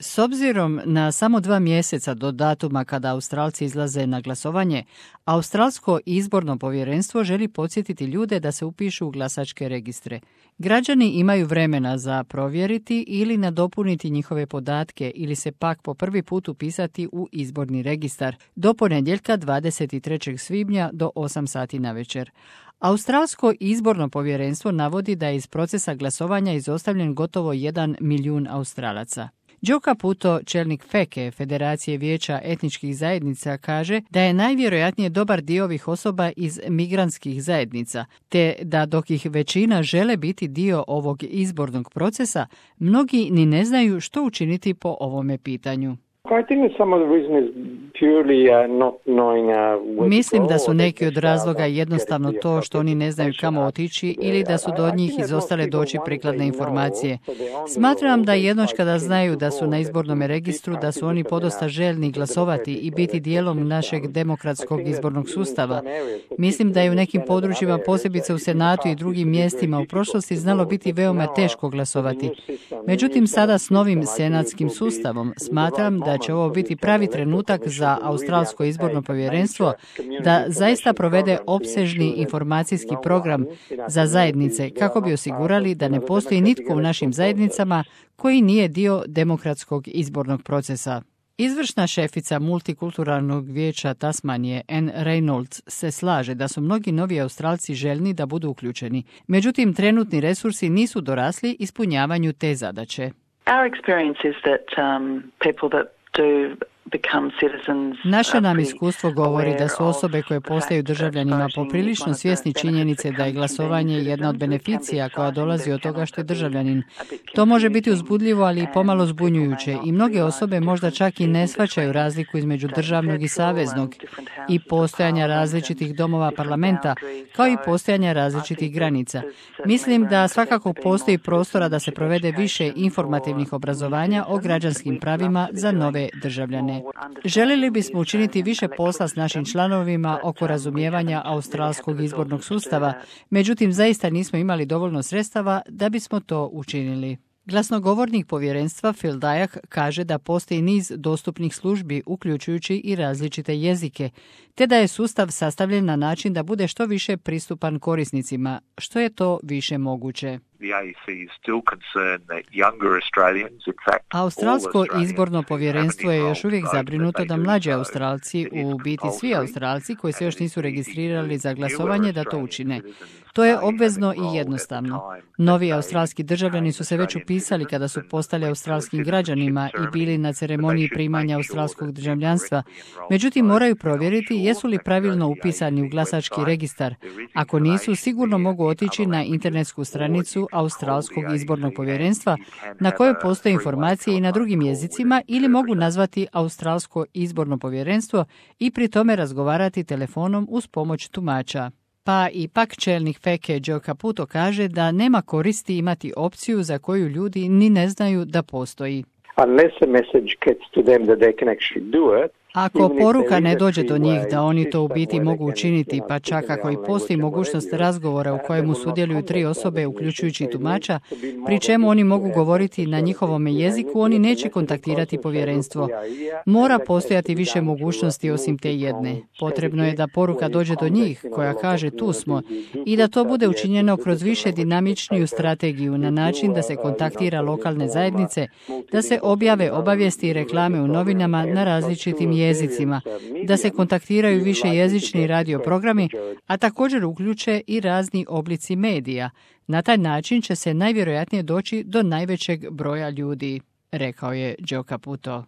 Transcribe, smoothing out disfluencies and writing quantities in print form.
S obzirom na samo 2 mjeseca do datuma kada Australci izlaze na glasovanje, Australsko izborno povjerenstvo želi podsjetiti ljude da se upišu u glasačke registre. Građani imaju vremena za provjeriti ili nadopuniti njihove podatke ili se pak po prvi put upisati u izborni registar do ponedjeljka 23. svibnja do 8 sati navečer. Australsko izborno povjerenstvo navodi da je iz procesa glasovanja izostavljen gotovo 1 milijun Australaca. Joe Caputo, čelnik FECE, Federacije vijeća etničkih zajednica, kaže da je najvjerojatnije dobar dio ovih osoba iz migrantskih zajednica, te da dok ih većina žele biti dio ovog izbornog procesa, mnogi ni ne znaju što učiniti po ovome pitanju. Mislim da su neki od razloga jednostavno to što oni ne znaju kamo otići ili da su do njih izostale doći prikladne informacije. Smatram da jednoć kada znaju da su na izbornom registru, da su oni podosta željni glasovati i biti dijelom našeg demokratskog izbornog sustava. Mislim da je u nekim područjima, posebice u Senatu i drugim mjestima u prošlosti, znalo biti veoma teško glasovati. Međutim, sada s novim senatskim sustavom smatram da će ovo biti pravi trenutak za Australsko izborno povjerenstvo da zaista provede opsežni informacijski program za zajednice kako bi osigurali da ne postoji nitko u našim zajednicama koji nije dio demokratskog izbornog procesa. Izvršna šefica multikulturalnog vijeća Tasmanije, Anne Reynolds, se slaže da su mnogi novi Australci željni da budu uključeni. Međutim, trenutni resursi nisu dorasli ispunjavanju te zadaće. Our experience is that people that do become citizens. Naše nam iskustvo govori da su osobe koje postaju državljanima poprilično svjesni činjenice da je glasovanje jedna od beneficija koja dolazi od toga što je državljanin. To može biti uzbudljivo, ali i pomalo zbunjujuće i mnoge osobe možda čak i ne shvaćaju razliku između državnog i saveznog i postojanja različitih domova parlamenta, kao i postojanja različitih granica. Mislim da svakako postoji prostora da se provede više informativnih obrazovanja o građanskim pravima za nove državljane. Željeli bismo učiniti više posla s našim članovima oko razumijevanja australskog izbornog sustava, međutim zaista nismo imali dovoljno sredstava da bismo to učinili. Glasnogovornik povjerenstva Phil Dyack kaže da postoji niz dostupnih službi, uključujući i različite jezike, te da je sustav sastavljen na način da bude što više pristupan korisnicima, što je to više moguće. Australsko izborno povjerenstvo je još uvijek zabrinuto da mlađi Australci, u biti svi Australci koji se još nisu registrirali za glasovanje, da to učine. To je obvezno i jednostavno. Novi australski državljani su se već upisali kada su postali australskim građanima i bili na ceremoniji primanja australskog državljanstva. Međutim, moraju provjeriti jesu li pravilno upisani u glasački registar. Ako nisu, sigurno mogu otići na internetsku stranicu Australskog izbornog povjerenstva na kojoj postoje informacije i na drugim jezicima ili mogu nazvati Australsko izborno povjerenstvo i pri tome razgovarati telefonom uz pomoć tumača. Pa ipak čelnik FECE Joe Caputo kaže da nema koristi imati opciju za koju ljudi ni ne znaju da postoji. Ako poruka ne dođe do njih da oni to u biti mogu učiniti, pa čak ako i postoji mogućnost razgovora u kojemu sudjeluju 3 osobe, uključujući tumača, pri čemu oni mogu govoriti na njihovom jeziku, oni neće kontaktirati povjerenstvo. Mora postojati više mogućnosti osim te jedne. Potrebno je da poruka dođe do njih, koja kaže tu smo, i da to bude učinjeno kroz više dinamičniju strategiju na način da se kontaktira lokalne zajednice, da se objave obavijesti i reklame u novinama na različitim jezicima, da se kontaktiraju više jezični radio programi, a također uključe i razni oblici medija. Na taj način će se najvjerojatnije doći do najvećeg broja ljudi, rekao je Joe Caputo.